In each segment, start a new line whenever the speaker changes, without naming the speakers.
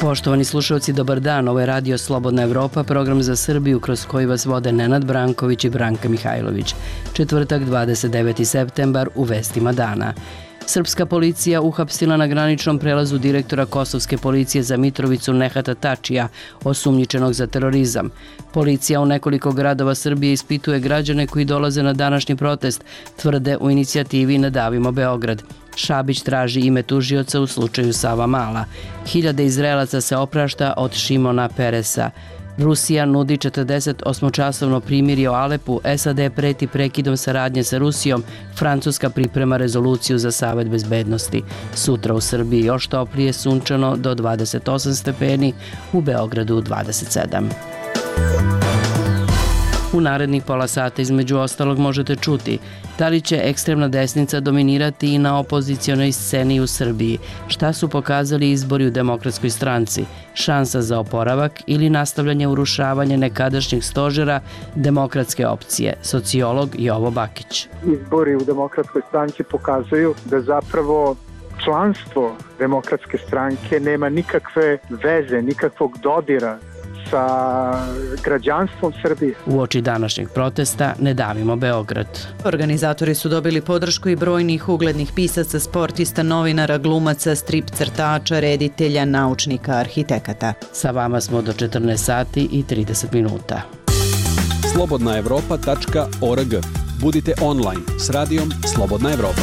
Poštovani slušalci, dobar dan. Ovo je Radio Slobodna Evropa, program za Srbiju kroz koji vas vode Nenad Branković i Branka Mihajlović. Četvrtak, 29. septembar, u vestima dana. Srpska policija uhapsila na graničnom prelazu direktora Kosovske policije za Mitrovicu Nehata Tačija, osumnjičenog za terorizam. Policija u nekoliko gradova Srbije ispituje građane koji dolaze na današnji protest, tvrde u inicijativi Ne davimo Beograd. Šabić traži ime tužioca u slučaju Savamala. Hiljade Izraelaca se oprašta od Šimona Peresa. Rusija nudi 48-časovno primirje o Alepu, SAD preti prekidom saradnje sa Rusijom, Francuska priprema rezoluciju za Savet bezbednosti. Sutra u Srbiji još toplije, sunčano do 28 stepeni, u Beogradu 27. U narednih pola sata između ostalog možete čuti da li će ekstremna desnica dominirati i na opozicionoj sceni u Srbiji, šta su pokazali izbori u Demokratskoj stranci, šansa za oporavak ili nastavljanje urušavanja nekadašnjih stožera demokratske opcije, sociolog Jovo Bakić.
Izbori u Demokratskoj stranci pokazuju da zapravo članstvo Demokratske stranke nema nikakve veze, nikakvog dodira sa građanstvom Srbije.
Uoči današnjeg protesta Ne davimo Beograd.
Organizatori su dobili podršku i brojnih uglednih pisaca, sportista, novinara, glumaca, strip crtača, reditelja, naučnika, arhitekata.
Sa vama smo do 14 sati i 30 minuta.
slobodnaevropa.org. Budite online s radijom Slobodna Evropa.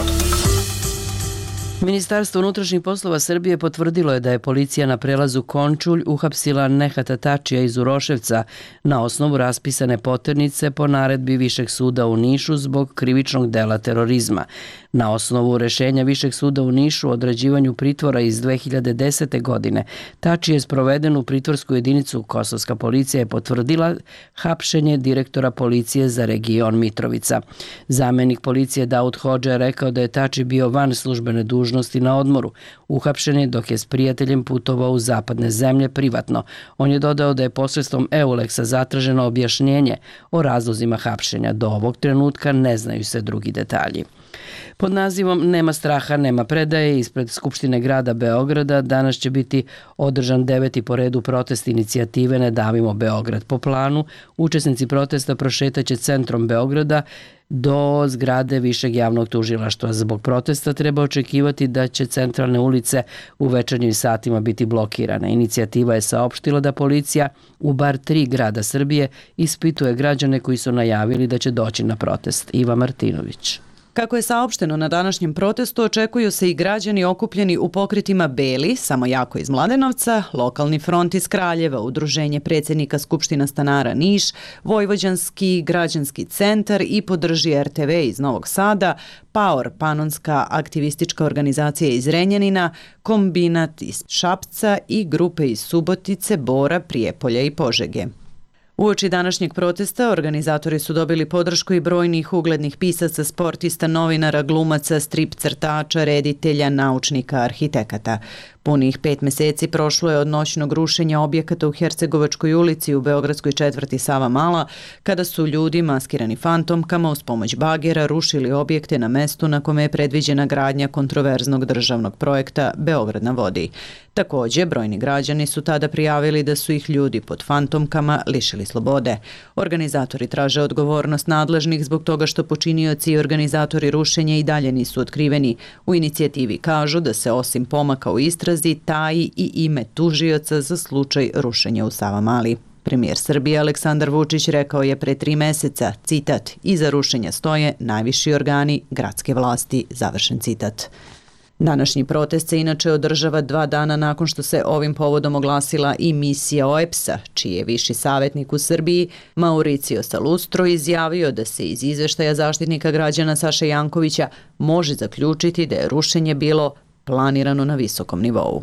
Ministarstvo unutrašnjih poslova Srbije potvrdilo je da je policija na prelazu Končulj uhapsila Nehata Tačija iz Uroševca na osnovu raspisane poternice po naredbi Višeg suda u Nišu zbog krivičnog dela terorizma. Na osnovu rešenja Višeg suda u Nišu o određivanju pritvora iz 2010. godine, Tači je sproveden u pritvorsku jedinicu. Kosovska policija je potvrdila hapšenje direktora policije za region Mitrovica. Zamenik policije Daud Hodža je rekao da je Tači bio van službene dužnosti na odmoru. Uhapšen je dok je s prijateljem putovao u zapadne zemlje privatno. On je dodao da je posredstvom Euleksa zatraženo objašnjenje o razlozima hapšenja. Do ovog trenutka ne znaju se drugi detalji. Pod nazivom Nema straha, nema predaje ispred Skupštine grada Beograda danas će biti održan 9. po redu protest inicijative Ne davimo Beograd. Po planu, učesnici protesta prošetaće centrom Beograda do zgrade Višeg javnog tužilaštva. Zbog protesta treba očekivati da će centralne ulice u večernjim satima biti blokirane. Inicijativa je saopštila da policija u bar 3 grada Srbije ispituje građane koji su najavili da će doći na protest. Iva Martinović.
Kako je saopšteno na današnjem protestu, očekuju se i građani okupljeni u pokretima Beli, samo jako iz Mladenovca, Lokalni front iz Kraljeva, Udruženje predsjednika Skupština stanara Niš, Vojvođanski građanski centar i Podrži RTV iz Novog Sada, PAOR, Panonska aktivistička organizacija iz Renjanina, Kombinat iz Šapca i grupe iz Subotice, Bora, Prijepolja i Požege. Uoči današnjeg protesta organizatori su dobili podršku i brojnih uglednih pisaca, sportista, novinara, glumaca, strip crtača, reditelja, naučnika, arhitekata. Punih 5 meseci prošlo je od noćnog rušenja objekata u Hercegovačkoj ulici u beogradskoj četvrti Savamala, kada su ljudi maskirani fantomkama uz pomoć bagera rušili objekte na mestu na kome je predviđena gradnja kontroverznog državnog projekta Beograd na vodi. Također, brojni građani su tada prijavili da su ih ljudi pod fantomkama lišili slobode. Organizatori traže odgovornost nadležnih zbog toga što počinioci i organizatori rušenja i dalje nisu otkriveni. U inicijativi kažu da se osim pomaka u istrazi taji i ime tužioca za slučaj rušenja u Savamali. Premijer Srbije Aleksandar Vučić rekao je pre 3 meseca, citat, iza rušenja stoje najviši organi gradske vlasti, završen citat. Današnji protest se inače održava 2 dana nakon što se ovim povodom oglasila i misija OEBS-a, čiji je viši savjetnik u Srbiji, Mauricio Salustro, izjavio da se iz izveštaja zaštitnika građana Saše Jankovića može zaključiti da je rušenje bilo planirano na visokom nivou.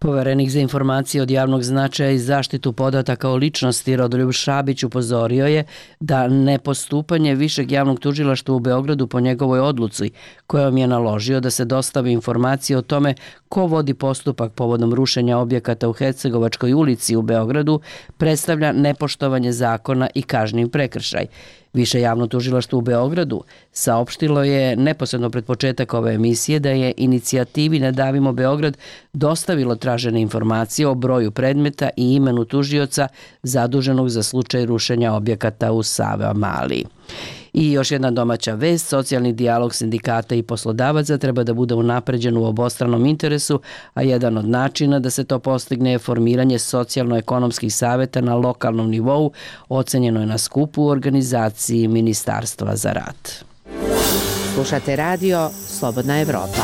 Poverenik za informacije od javnog značaja i zaštitu podataka o ličnosti Rodoljub Šabić upozorio je da nepostupanje Višeg javnog tužilaštva u Beogradu po njegovoj odluci, kojom je naložio da se dostavi informacije o tome ko vodi postupak povodom rušenja objekata u Hercegovačkoj ulici u Beogradu, predstavlja nepoštovanje zakona i kažnjiv prekršaj. Više javno tužilaštvo u Beogradu saopštilo je neposredno pred početak ove emisije da je inicijativi Ne davimo Beograd dostavilo tražene informacije o broju predmeta i imenu tužioca zaduženog za slučaj rušenja objekata u Savamali. I još jedna domaća vest, socijalni dijalog sindikata i poslodavaca treba da bude unapređen u obostranom interesu, a jedan od načina da se to postigne je formiranje socijalno-ekonomskih saveta na lokalnom nivou, ocenjeno je na skupu u organizaciji Ministarstva za rad.
Slušate radio Slobodna Evropa.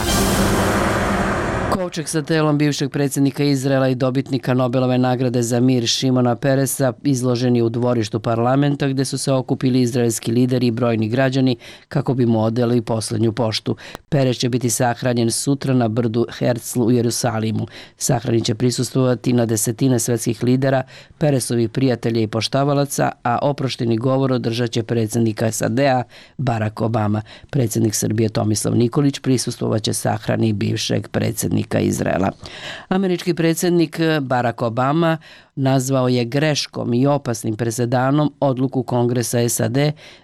Kovčeg sa telom bivšeg predsjednika Izraela i dobitnika Nobelove nagrade za mir Šimona Peresa izloženi u dvorištu parlamenta gdje su se okupili izraelski lideri i brojni građani kako bi mu odali posljednju poštu. Peres će biti sahranjen sutra na brdu Herzl u Jerusalimu. Sahrani će prisustvovati na desetine svetskih lidera, Peresovih prijatelja i poštavalaca, a oprošteni govor održat će predsjednika SAD-a Barack Obama. Predsjednik Srbije Tomislav Nikolić prisustvovat će sahrani bivšeg predsjednika Izraela. Američki predsjednik Barack Obama nazvao je greškom i opasnim presedanom odluku Kongresa SAD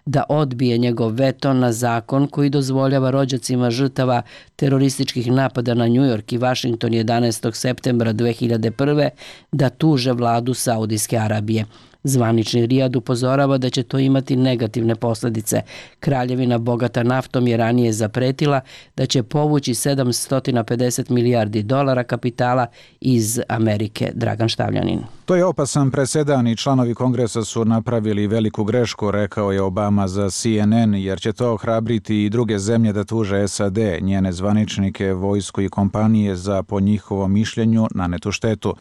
da odbije njegov veto na zakon koji dozvoljava rođacima žrtava terorističkih napada na New York i Washington 11. septembra 2001. da tuže vladu Saudijske Arabije. Zvanični Rijad upozorava da će to imati negativne posljedice. Kraljevina bogata naftom je ranije zapretila da će povući $750 milijardi kapitala iz Amerike. Dragan Štavljanin.
To je opasan presedan i članovi Kongresa su napravili veliku grešku, rekao je Obama za CNN, jer će to ohrabriti i druge zemlje da tuže SAD, njene zvaničnike, vojsku i kompanije za, po njihovom mišljenju, nanetu štetu.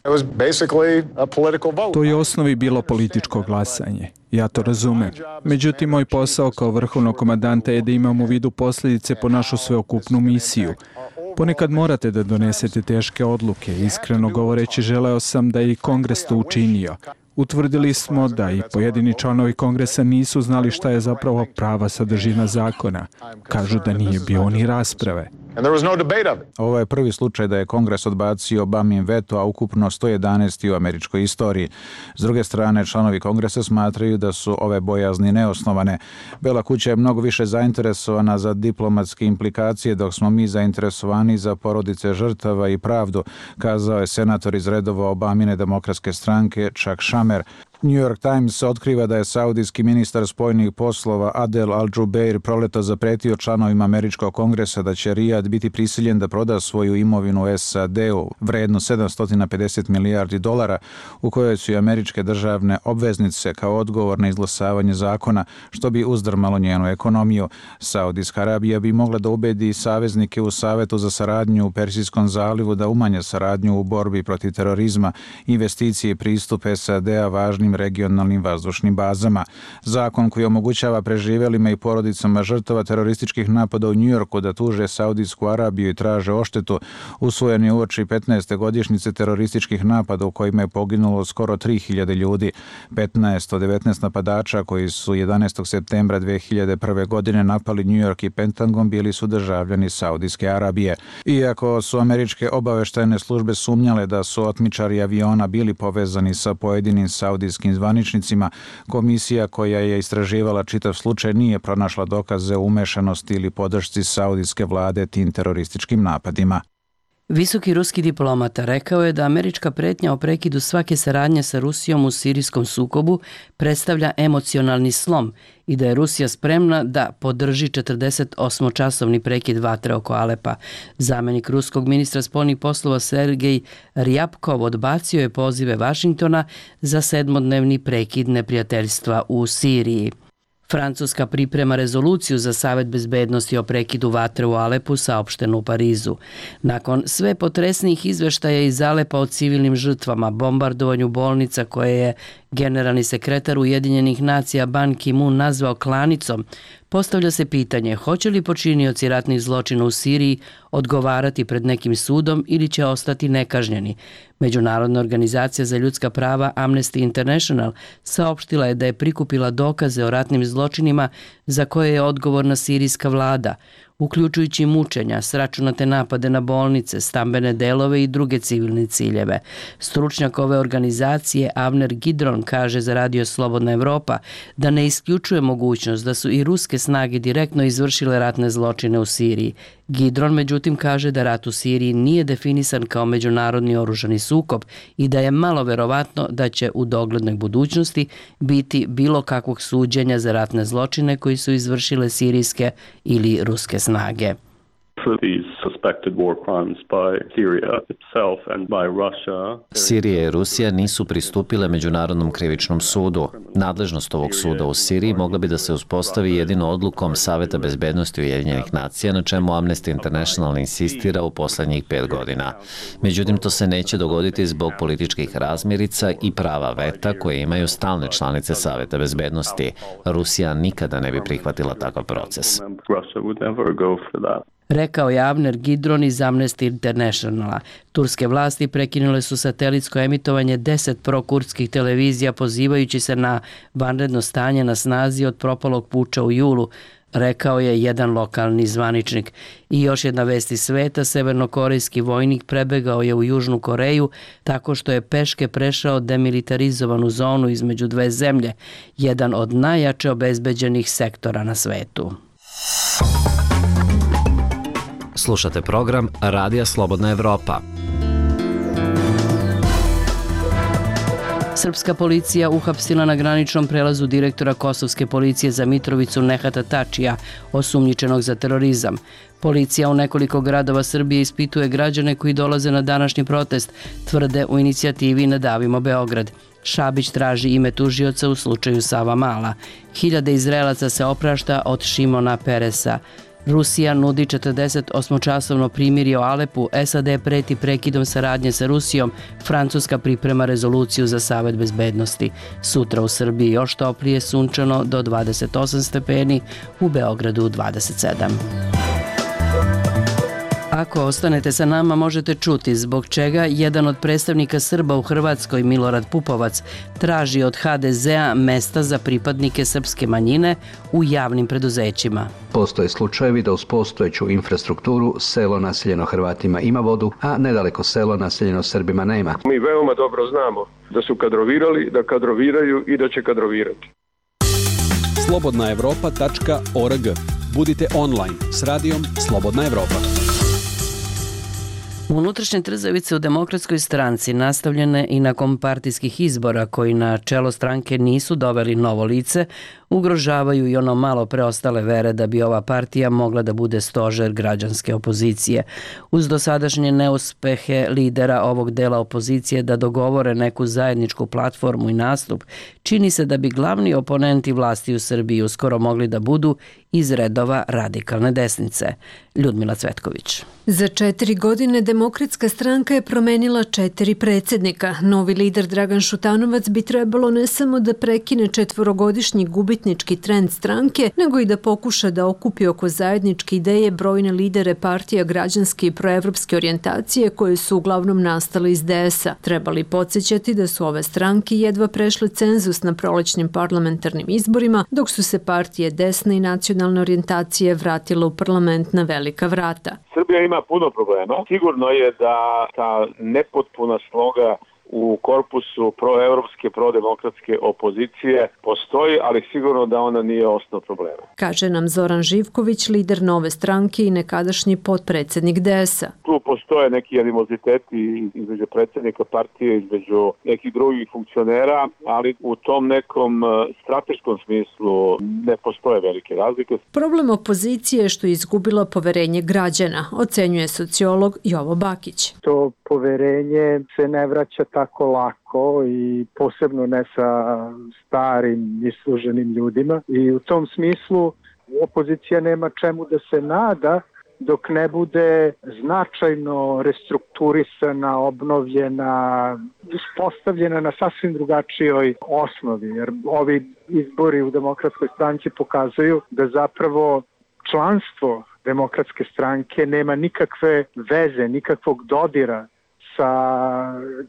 To je u osnovi bilo političko glasanje. Ja to razumem. Međutim, moj posao kao vrhovnog komandanta je da imam u vidu posljedice po našu sveokupnu misiju. Ponekad morate da donesete teške odluke. Iskreno govoreći, želeo sam da i Kongres to učinio. Utvrdili smo da i pojedini članovi Kongresa nisu znali šta je zapravo prava sadržina zakona. Kažu da nije bilo ni rasprave.
Ovo je prvi slučaj da je Kongres odbacio Obamin veto, a ukupno 111 u američkoj istoriji. S druge strane, članovi Kongresa smatraju da su ove bojazni neosnovane. Bela kuća je mnogo više zainteresovana za diplomatske implikacije, dok smo mi zainteresovani za porodice žrtava i pravdu, kazao je senator iz redova Obamine demokratske stranke Chuck Schumer. New York Times otkriva da je saudijski ministar spoljnih poslova Adel Al-Jubeir proleto zapretio članovima američkog kongresa da će Rijad biti prisiljen da proda svoju imovinu SAD-u vrednu $750 milijardi, u kojoj su i američke državne obveznice kao odgovor na izglasavanje zakona, što bi uzdrmalo njenu ekonomiju. Saudijska Arabija bi mogla da ubedi saveznike u Savetu za saradnju u Persijskom zalivu da umanje saradnju u borbi protiv terorizma, investicije i pristup SAD-a važnim regionalnim vazdušnim bazama. Zakon koji omogućava preživjelima i porodicama žrtava terorističkih napada u New Yorku da tuže Saudijsku Arabiju i traže odštetu, usvojen je uoči 15. godišnjice terorističkih napada u kojima je poginulo skoro 3000 ljudi. 15 od 19 napadača koji su 11. septembra 2001. godine napali New York i Pentagon bili su državljani Saudijske Arabije. Iako su američke obaveštajne službe sumnjale da su otmičari aviona bili povezani sa pojedinim saudijskim zvaničnicima, komisija koja je istraživala čitav slučaj nije pronašla dokaze o umešanosti ili podršci saudijske vlade tim terorističkim napadima.
Visoki ruski diplomata rekao je da američka pretnja o prekidu svake saradnje sa Rusijom u sirijskom sukobu predstavlja emocionalni slom i da je Rusija spremna da podrži 48-časovni prekid vatre oko Alepa. Zamenik ruskog ministra spoljnih poslova Sergej Rjapkov odbacio je pozive Vašingtona za 7-dnevni prekid neprijateljstva u Siriji. Francuska priprema rezoluciju za Savet bezbednosti o prekidu vatre u Alepu, saopšteno u Parizu. Nakon sve potresnijih izveštaja iz Alepa o civilnim žrtvama, bombardovanju bolnica koje je generalni sekretar Ujedinjenih nacija Ban Ki-moon nazvao klanicom, postavlja se pitanje hoće li počinioci ratnih zločina u Siriji odgovarati pred nekim sudom ili će ostati nekažnjeni. Međunarodna organizacija za ljudska prava Amnesty International saopštila je da je prikupila dokaze o ratnim zločinima za koje je odgovorna sirijska vlada. uključujući mučenja, sračunate napade na bolnice, stambene delove i druge civilne ciljeve. Stručnjak ove organizacije Avner Gidron kaže za Radio Slobodna Evropa da ne isključuje mogućnost da su i ruske snage direktno izvršile ratne zločine u Siriji. Gidron međutim kaže da rat u Siriji nije definisan kao međunarodni oružani sukob i da je malo verovatno da će u doglednoj budućnosti biti bilo kakvog suđenja za ratne zločine koji su izvršile sirijske ili ruske snage.
Sirija i Rusija nisu pristupile Međunarodnom krivičnom sudu. Nadležnost ovog suda u Siriji mogla bi da se uspostavi jedino odlukom Saveta bezbednosti Ujedinjenih nacija, na čemu Amnesty International insistira u poslednjih 5 godina. Međutim, to se neće dogoditi zbog političkih razmirica i prava veta koje imaju stalne članice Saveta bezbednosti. Rusija nikada ne bi prihvatila takav proces.
Rekao je Avner Gidron iz Amnesty Internationala. Turske vlasti prekinule su satelitsko emitovanje 10 prokurdskih televizija pozivajući se na vanredno stanje na snazi od propalog puča u julu, rekao je jedan lokalni zvaničnik. I još jedna vest iz sveta, severnokorejski vojnik prebegao je u Južnu Koreju tako što je peške prešao demilitarizovanu zonu između dve zemlje, jedan od najjače obezbeđenih sektora na svetu.
Slušate program Radija Slobodna Evropa.
Srpska policija uhapsila na graničnom prelazu direktora kosovske policije za Mitrovicu Nehata Tačija, osumnjičenog za terorizam. Policija u nekoliko gradova Srbije ispituje građane koji dolaze na današnji protest, tvrde u inicijativi Nadavimo Beograd. Šabić traži ime tužioca u slučaju Savamala. Hiljade Izraelaca se oprašta od Šimona Peresa. Rusija nudi 48-časovno primirje o Alepu, SAD preti prekidom saradnje sa Rusijom, Francuska priprema rezoluciju za Savet bezbednosti. Sutra u Srbiji još toplije, sunčano do 28 stepeni, u Beogradu 27. Ako ostanete sa nama, možete čuti zbog čega jedan od predstavnika Srba u Hrvatskoj, Milorad Pupovac, traži od HDZ-a mesta za pripadnike srpske manjine u javnim preduzećima.
Postoje slučajevi da uz postojeću infrastrukturu selo naseljeno Hrvatima ima vodu, a nedaleko selo naseljeno Srbima nema.
Mi veoma dobro znamo da su kadrovirali, da kadroviraju i da će kadrovirati.
slobodnaevropa.org. Budite online s radijom Slobodna Evropa.
Unutrašnje trzavice u Demokratskoj stranci nastavljene i nakon partijskih izbora koji na čelo stranke nisu doveli novo lice, ugrožavaju i ono malo preostale vere da bi ova partija mogla da bude stožer građanske opozicije. Uz dosadašnje neuspehe lidera ovog dela opozicije da dogovore neku zajedničku platformu i nastup, čini se da bi glavni oponenti vlasti u Srbiji uskoro mogli da budu iz redova radikalne desnice. Ljudmila Cvetković.
Za 4 godine Demokratska stranka je promenila 4 predsjednika. Novi lider Dragan Šutanovac bi trebalo ne samo da prekine 4-godišnji gubitnički trend stranke, nego i da pokuša da okupi oko zajedničke ideje brojne lidere partija građanske i proevropske orijentacije koje su uglavnom nastale iz DS-a. Trebali podsjećati da su ove stranke jedva prešle cenzus na prolećnim parlamentarnim izborima, dok su se partije desne i nacionalne orijentacije vratile u parlament na velika vrata.
Srbija ima puno problema. Sigurno je da ta nepotpuna sloga u korpusu proevropske, prodemokratske opozicije postoji, ali sigurno da ona nije osnov problema.
Kaže nam Zoran Živković, lider Nove stranke i nekadašnji potpredsjednik DS-a.
Tu postoje neki animoziteti između predsjednika partije, između nekih drugih funkcionera, ali u tom nekom strateškom smislu ne postoje velike razlike.
Problem opozicije je što je izgubila poverenje građana, ocenjuje sociolog Jovo Bakić.
To poverenje se ne vraća tako lako i posebno ne sa starim isluženim ljudima. I u tom smislu opozicija nema čemu da se nada dok ne bude značajno restrukturisana, obnovljena, uspostavljena na sasvim drugačijoj osnovi. Jer ovi izbori u Demokratskoj stranci pokazuju da zapravo članstvo Demokratske stranke nema nikakve veze, nikakvog dodira sa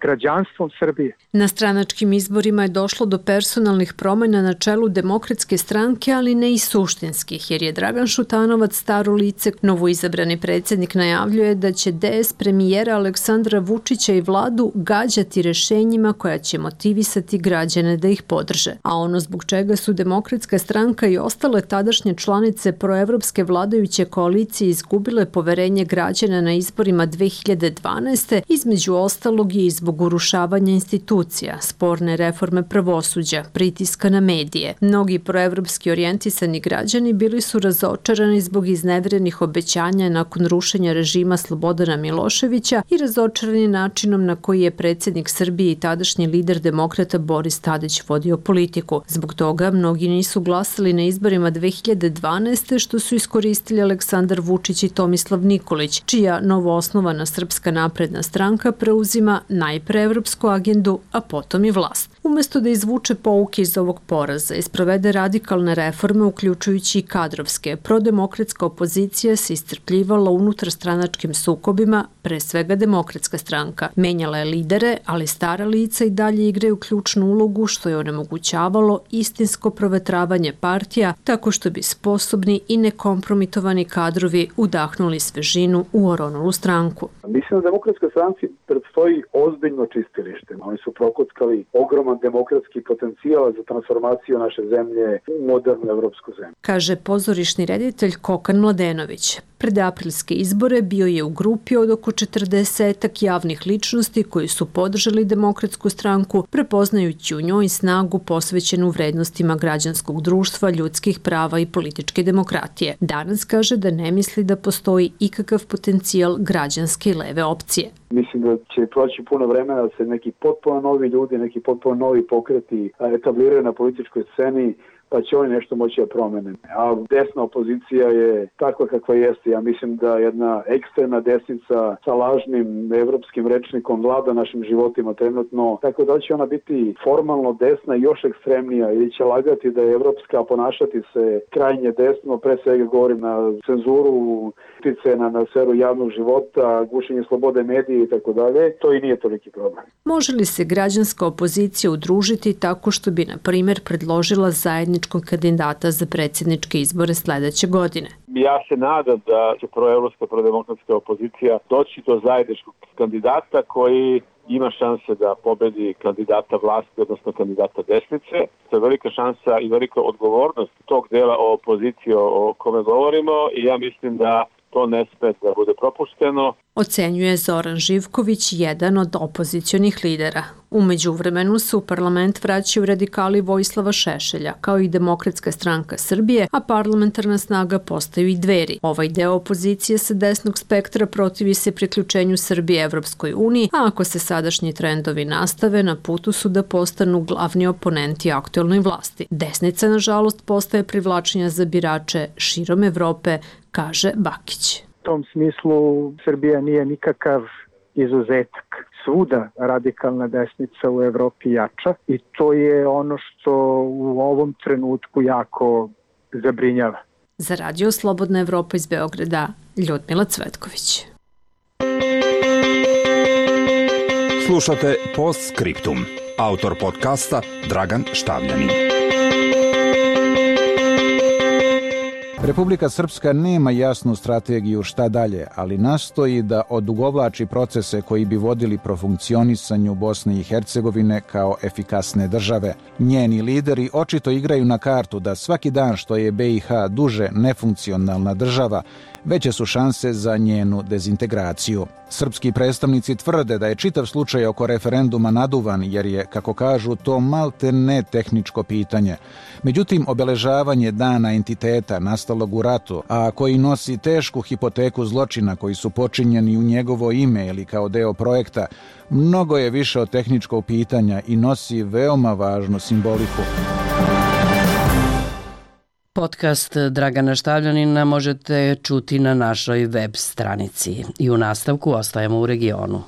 građanstvom Srbije.
Na stranačkim izborima je došlo do personalnih promjena na čelu Demokratske stranke, ali ne i suštinskih, jer je Dragan Šutanovac staro lice. Novoizabrani predsjednik najavljuje da će DS premijera Aleksandra Vučića i vladu gađati rešenjima koja će motivisati građane da ih podrže. A ono zbog čega su Demokratska stranka i ostale tadašnje članice proevropske vladajuće koalicije izgubile poverenje građana na izborima 2012. između ostalog je i zbog urušavanja institucija, sporne reforme pravosuđa, pritiska na medije. Mnogi proevropski orijentisani građani bili su razočarani zbog izneverenih obećanja nakon rušenja režima Slobodana Miloševića i razočarani načinom na koji je predsjednik Srbije i tadašnji lider demokrata Boris Tadić vodio politiku. Zbog toga mnogi nisu glasali na izborima 2012. što su iskoristili Aleksandar Vučić i Tomislav Nikolić, čija novoosnovana Srpska napredna stranka preuzima najpre evropsku agendu, a potom i vlast. Umesto da izvuče pouke iz ovog poraza i sprovede radikalne reforme, uključujući i kadrovske, prodemokratska opozicija se iscrpljivala unutarstranačkim sukobima, pre svega Demokratska stranka. Menjala je lidere, ali stara lica i dalje igraju ključnu ulogu, što je onemogućavalo istinsko provetravanje partija, tako što bi sposobni i nekompromitovani kadrovi udahnuli svežinu u oronulu stranku.
Mislim da Demokratskoj stranci predstoji ozbiljno čistilište. Oni su prokockali ogroman demokratski potencijal za transformaciju naše zemlje u modernu evropsku zemlju,
kaže pozorišni reditelj Kokan Mladenović. Pred aprilske izbore bio je u grupi od oko 40 javnih ličnosti koji su podržali Demokratsku stranku, prepoznajući u njoj snagu posvećenu vrednostima građanskog društva, ljudskih prava i političke demokratije. Danas kaže da ne misli da postoji ikakav potencijal građanske i leve opcije.
Mislim da će proći puno vremena da se neki potpuno novi ljudi, neki potpuno novi pokreti etabliraju na političkoj sceni, pa će oni nešto moći da promene. A desna opozicija je takva kakva jeste. Ja mislim da jedna ekstremna desnica sa lažnim evropskim rečnikom vlada našim životima trenutno, tako da će ona biti formalno desna i još ekstremnija ili će lagati da je evropska, ponašati se krajnje desno, pre svega govorim na cenzuru, utice na sferu javnog života, gušenje slobode medije i tako dalje. To i nije toliki problem.
Može li se građanska opozicija udružiti tako što bi, na primjer, predložila zajedničkog kandidata za predsjedničke izbore sledeće godine?
Ja se nadam da će proevropska, prodemokratska opozicija doći do zajedničkog kandidata koji ima šanse da pobedi kandidata vlasti, odnosno kandidata desnice. To je velika šansa i velika odgovornost tog dela opozicije o kome govorimo i ja mislim da to ne sme da bude propušteno.
Ocenjuje Zoran Živković, jedan od opozicionih lidera. U međuvremenu se u parlament vraćaju radikali Vojislava Šešelja, kao i Demokratska stranka Srbije, a parlamentarna snaga postaju i Dveri. Ovaj deo opozicije sa desnog spektra protivi se priključenju Srbije Evropskoj uniji, a ako se sadašnji trendovi nastave, na putu su da postanu glavni oponenti aktuelnoj vlasti. Desnica, nažalost, postaje privlačenja za birače širom Evrope, kaže Bakić.
U tom smislu Srbija nije nikakav izuzetak. Svuda radikalna desnica u Evropi jača i to je ono što u ovom trenutku jako zabrinjava.
Za Radio Slobodna Evropa iz Beograda, Ljudmila Cvetković.
Slušate Postscriptum. Autor podcasta Dragan Štavljanin.
Republika Srpska nema jasnu strategiju šta dalje, ali nastoji da odugovlači procese koji bi vodili profunkcionisanju Bosne i Hercegovine kao efikasne države. Njeni lideri očito igraju na kartu da svaki dan što je BiH duže nefunkcionalna država, veće su šanse za njenu dezintegraciju. Srpski predstavnici tvrde da je čitav slučaj oko referenduma naduvan jer je, kako kažu, to malte ne tehničko pitanje. Međutim, obeležavanje dana entiteta nastalog u ratu, a koji nosi tešku hipoteku zločina koji su počinjeni u njegovo ime ili kao deo projekta, mnogo je više od tehničkog pitanja i nosi veoma važnu simboliku.
Podcast Dragana Štavljanina možete čuti na našoj web stranici. I u nastavku ostajemo u regionu.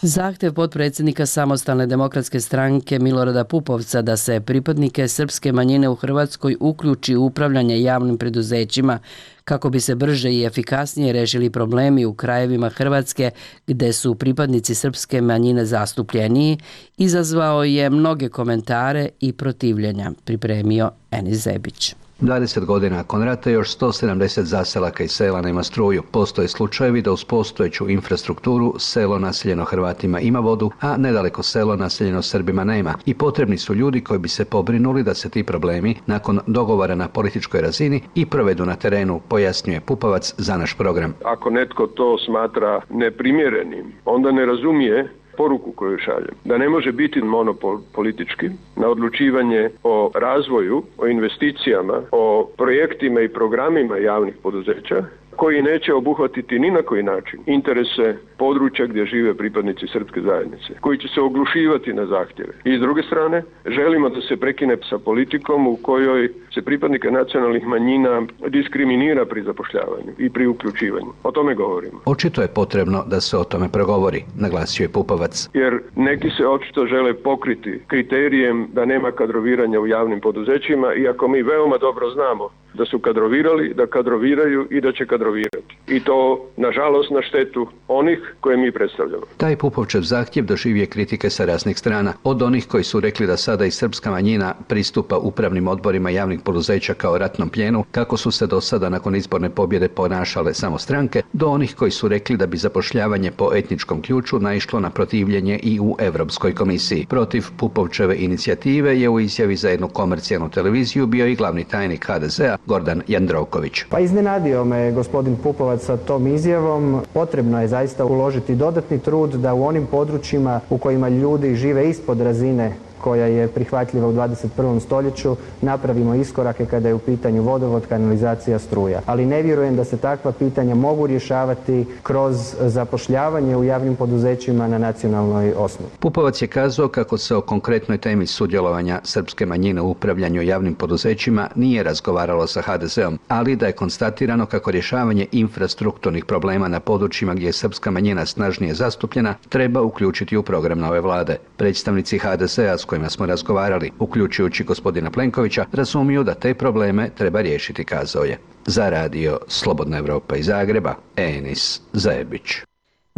Zahtev potpredsjednika Samostalne demokratske stranke Milorada Pupovca da se pripadnike srpske manjine u Hrvatskoj uključi u upravljanje javnim preduzećima kako bi se brže i efikasnije rešili problemi u krajevima Hrvatske gde su pripadnici srpske manjine zastupljeniji, izazvao je mnoge komentare i protivljenja, pripremio Enis Zebić.
20 godina nakon rata još 170 zaselaka i sela nema struju. Postoje slučajevi da uz postojeću infrastrukturu selo naseljeno Hrvatima ima vodu, a nedaleko selo naseljeno Srbima nema. I potrebni su ljudi koji bi se pobrinuli da se ti problemi nakon dogovora na političkoj razini i provedu na terenu, pojasnjuje Pupovac za naš program.
Ako netko to smatra neprimjerenim, onda ne razumije poruku koju šaljem. Da ne može biti monopol politički na odlučivanje o razvoju, o investicijama, o projektima i programima javnih poduzeća koji neće obuhvatiti ni na koji način interese područja gdje žive pripadnici srpske zajednice, koji će se oglušivati na zahtjeve. I s druge strane, želimo da se prekine sa politikom u kojoj se pripadnike nacionalnih manjina diskriminira pri zapošljavanju i pri uključivanju. O tome govorimo.
Očito je potrebno da se o tome progovori, naglasio je Pupovac.
Jer neki se očito žele pokriti kriterijem da nema kadroviranja u javnim poduzećima, iako mi veoma dobro znamo da su kadrovirali, da kadroviraju i da će kadrovirati. I to, nažalost, na štetu onih koje mi predstavljamo.
Taj Pupovčev zahtjev doživio kritike sa raznih strana. Od onih koji su rekli da sada i srpska manjina pristupa upravnim odborima javnih poduzeća kao ratnom plijenu, kako su se do sada nakon izborne pobjede ponašale samo stranke, do onih koji su rekli da bi zapošljavanje po etničkom ključu naišlo na protivljenje i u Europskoj komisiji. Protiv Pupovčeve inicijative je u izjavi za jednu komercijalnu televiziju bio i glavni tajnik HDZ-a Gordan Jandroković.
Pa iznenadio me gospodin Pupovac sa tom izjavom. Potrebno je zaista uložiti dodatni trud da u onim područjima u kojima ljudi žive ispod razine koja je prihvatljiva u 21. stoljeću, napravimo iskorake kada je u pitanju vodovod, kanalizacija, struja. Ali ne vjerujem da se takva pitanja mogu rješavati kroz zapošljavanje u javnim poduzećima na nacionalnoj osnovi.
Pupovac je kazao kako se o konkretnoj temi sudjelovanja srpske manjine u upravljanju javnim poduzećima nije razgovaralo sa HDZ-om, ali da je konstatirano kako rješavanje infrastrukturnih problema na područjima gdje je srpska manjina snažnije zastupljena treba uključiti u program nove vlade. Predstavnici HDZ-a s kojima smo razgovarali, uključujući gospodina Plenkovića, razumiju da te probleme treba riješiti, kazao je. Za radio Slobodna Evropa iz Zagreba, Enis Zebić.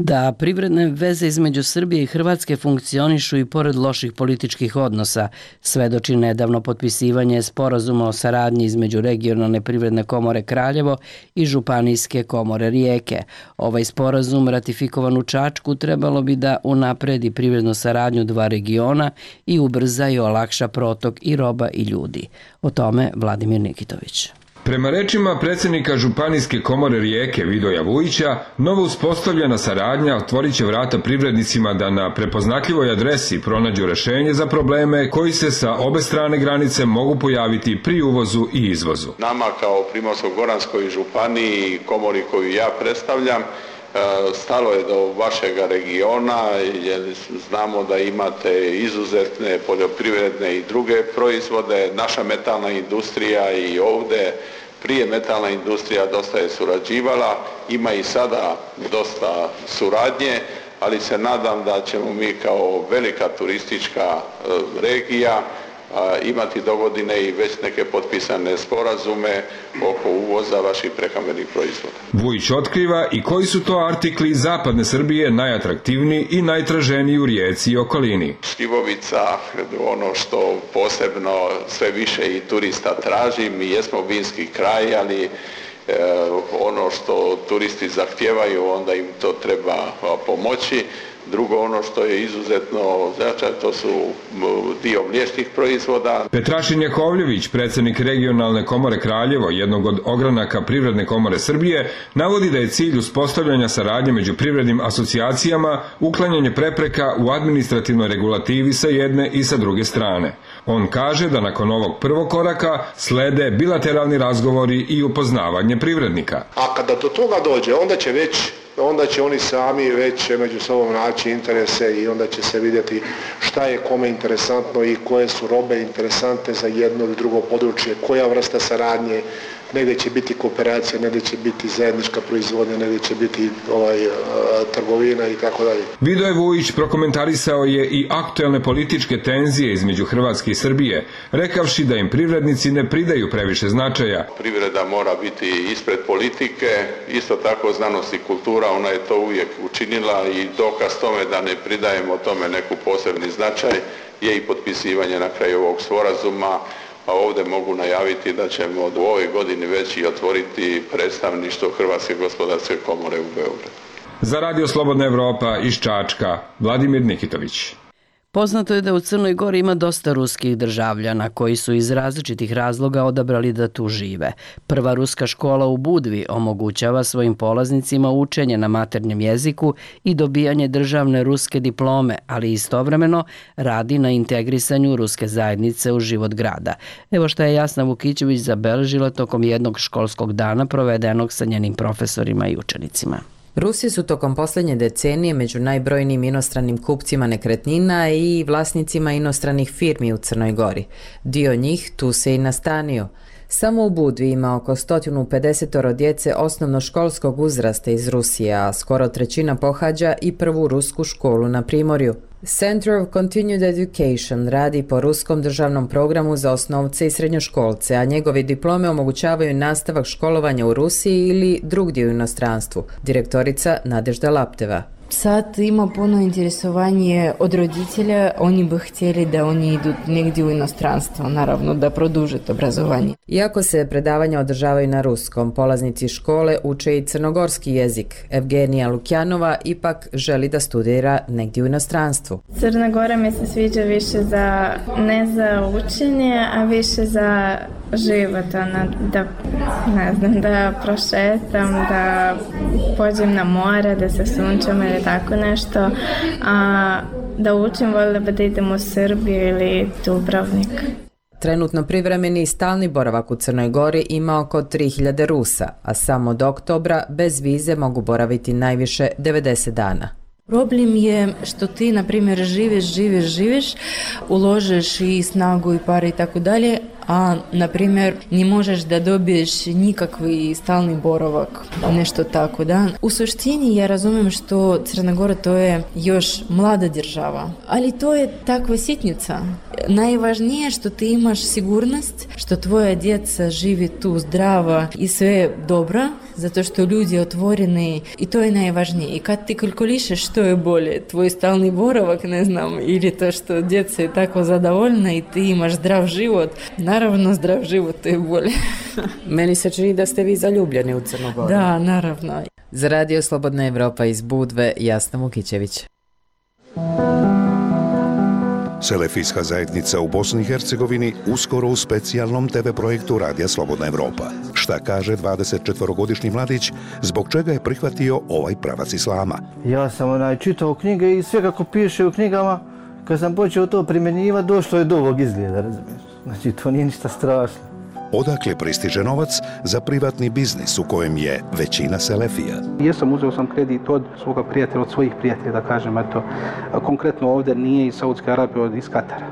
Da privredne veze između Srbije i Hrvatske funkcionišu i pored loših političkih odnosa, svedoči nedavno potpisivanje sporazuma o saradnji između Regionalne privredne komore Kraljevo i Županijske komore Rijeke. Ovaj sporazum, ratifikovan u Čačku, trebalo bi da unapredi privrednu saradnju dva regiona i ubrza i olakša protok i roba i ljudi. O tome Vladimir Nikitović.
Prema rečima predsjednika Županijske komore Rijeke Vidoja Vujića, novo uspostavljena saradnja otvorit će vrata privrednicima da na prepoznatljivoj adresi pronađu rešenje za probleme koji se sa obe strane granice mogu pojaviti pri uvozu i izvozu.
Nama kao Primorsko-goranskoj županiji i komori koju ja predstavljam, stalo je do vašega regiona jer znamo da imate izuzetne poljoprivredne i druge proizvode. Naša metalna industrija i ovdje prije metalna industrija dosta je surađivala, ima i sada dosta suradnje, ali se nadam da ćemo mi kao velika turistička regija imati dogodine i već neke potpisane sporazume oko uvoza vaših prehrambenih proizvoda.
Vujić otkriva i koji su to artikli iz zapadne Srbije najatraktivniji i najtraženiji u Rijeci i okolini.
Šljivovica, ono što posebno sve više i turista traži, mi jesmo vinski kraj, ali ono što turisti zahtijevaju, onda im to treba pomoći. Drugo, ono što je izuzetno značajno, to su dio mliječnih proizvoda.
Petrašin Jakovljević, predsjednik Regionalne komore Kraljevo, jednog od ogranaka Privredne komore Srbije, navodi da je cilj uspostavljanja saradnje među privrednim asocijacijama uklanjanje prepreka u administrativnoj regulativi sa jedne i sa druge strane. On kaže da nakon ovog prvog koraka slede bilateralni razgovori i upoznavanje privrednika.
A kada do toga dođe, onda će oni sami već među sobom naći interese i onda će se vidjeti šta je kome interesantno i koje su robe interesantne za jedno ili drugo područje, koja vrsta saradnje negdje će biti kooperacija, negdje će biti zajednička proizvodnja, negdje će biti trgovina i tako dalje.
Vidoje Vujić prokomentarisao je i aktuelne političke tenzije između Hrvatske i Srbije, rekavši da im privrednici ne pridaju previše značaja.
Privreda mora biti ispred politike, isto tako znanost i kultura, ona je to uvijek učinila i dokaz tome da ne pridajemo tome neku posebni značaj je i potpisivanje na kraju ovog sporazuma, a ovdje mogu najaviti da ćemo u ovoj godini već i otvoriti predstavništvo Hrvatske gospodarske komore u Beogradu.
Za Radio Slobodna Evropa iz Čačka, Vladimir Nikitović.
Poznato je da u Crnoj Gori ima dosta ruskih državljana koji su iz različitih razloga odabrali da tu žive. Prva ruska škola u Budvi omogućava svojim polaznicima učenje na maternjem jeziku i dobijanje državne ruske diplome, ali istovremeno radi na integrisanju ruske zajednice u život grada. Evo šta je Jasna Vukićević zabeležila tokom jednog školskog dana provedenog sa njenim profesorima i učenicima.
Rusi su tokom posljednje decenije među najbrojnijim inostranim kupcima nekretnina i vlasnicima inostranih firmi u Crnoj Gori. Dio njih tu se i nastanio. Samo u Budvi ima oko 150 djece osnovnoškolskog uzrasta iz Rusije, a skoro trećina pohađa i prvu rusku školu na Primorju. Center of Continued Education radi po ruskom državnom programu za osnovce i srednjoškolce, a njegovi diplome omogućavaju nastavak školovanja u Rusiji ili drugdje u inostranstvu. Direktorica Nadežda Lapteva.
Sad ima puno interesovanje od roditelja, oni bi htjeli da oni idu negdje u inostranstvo, naravno da produže obrazovanje.
Iako se predavanja održavaju na ruskom, polaznici škole uče i crnogorski jezik. Evgenija Lukjanova ipak želi da studira negdje u inostranstvu.
Crna Gora mi se sviđa više ne za učenje, a više za život, da prošetam, da pođem na more, da se sunčam ili tako nešto, a da učim voljela da idem u Srbiju ili Dubrovnik.
Trenutno privremeni i stalni boravak u Crnoj Gori ima oko 3000 Rusa, a samo od oktobra bez vize mogu boraviti najviše 90 dana.
Problem je što ti, na primjer, živiš, uložiš i snagu i pare i tako dalje, a, na primjer, ne možeš da dobiješ nikakvi stalni boravak, nešto tako, da. U suštini ja razumijem što Crna Gora to je još mlada država, ali to je takva sitnica. Najvažnije je što ti imaš sigurnost, što tvoja djeca živi tu zdrava i sve dobro, zato što ljudi otvoreni i to je najvažnije. I kad ti kalkulišeš što je bolje, tvoj stalni boravak, ne znam, ili to što djeca je tako zadovoljna i ti imaš zdrav život, naravno zdrav život to je bolje.
Meni se čini da ste vi zaljubljeni u Crnu Goru.
Da, naravno.
Za Radio Slobodna Evropa iz Budve, Jasna Vukićević.
Selefijska zajednica u Bosni i Hercegovini uskoro u specijalnom TV projektu Radija Slobodna Evropa. Šta kaže 24-godišnji mladić, zbog čega je prihvatio ovaj pravac islama?
Ja sam čitao knjige i sve kako piše u knjigama, kad sam počeo to primjenjivati, došlo je do ovog izgleda, razumiješ? Znači, to nije ništa strašno.
Odakle pristiže novac za privatni biznis u kojem je većina selefija?
Uzeo sam kredit od svoga prijatelja, od svojih prijatelja, da kažem, konkretno ovdje nije iz Saudske Arabije, iz Katara.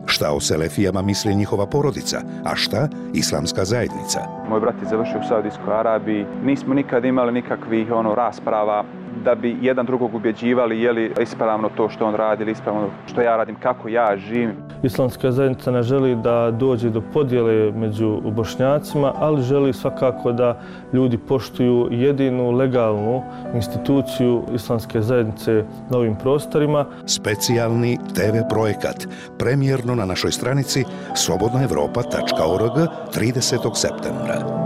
Šta o selefijama misli njihova porodica, a šta islamska zajednica?
Moj brat je završio u Saudijskoj Arabiji, nismo nikad imali nikakvih rasprava da bi jedan drugog ubjeđivali je li ispravno to što on radi ili ispravno što ja radim, kako ja živim.
Islamska zajednica ne želi da dođe do podjele među Bošnjacima, ali želi svakako da ljudi poštuju jedinu legalnu instituciju islamske zajednice na ovim prostorima.
Specijalni TV projekat, premijerno na našoj stranici slobodnaevropa.org 30. septembra.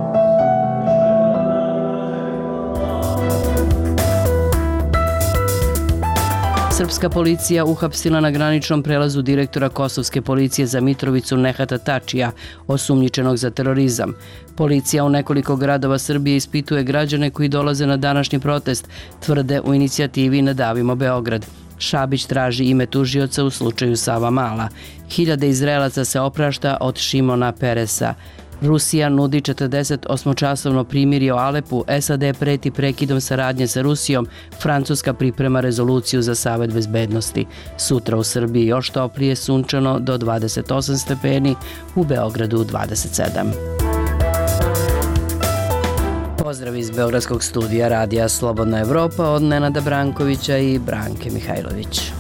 Srpska policija uhapsila na graničnom prelazu direktora kosovske policije za Mitrovicu Nehata Tačija, osumnjičenog za terorizam. Policija u nekoliko gradova Srbije ispituje građane koji dolaze na današnji protest, tvrde u inicijativi Nadavimo Beograd. Šabić traži ime tužioca u slučaju Savamala. Hiljade Izraelaca se oprašta od Šimona Peresa. Rusija nudi 48-časovno primirje o Alepu, SAD preti prekidom saradnje sa Rusijom, Francuska priprema rezoluciju za Savet bezbednosti. Sutra u Srbiji još toplije, sunčano do 28 stepeni, u Beogradu 27. Pozdrav iz Beogradskog studija Radija Slobodna Evropa od Nenada Brankovića i Branke Mihajlović.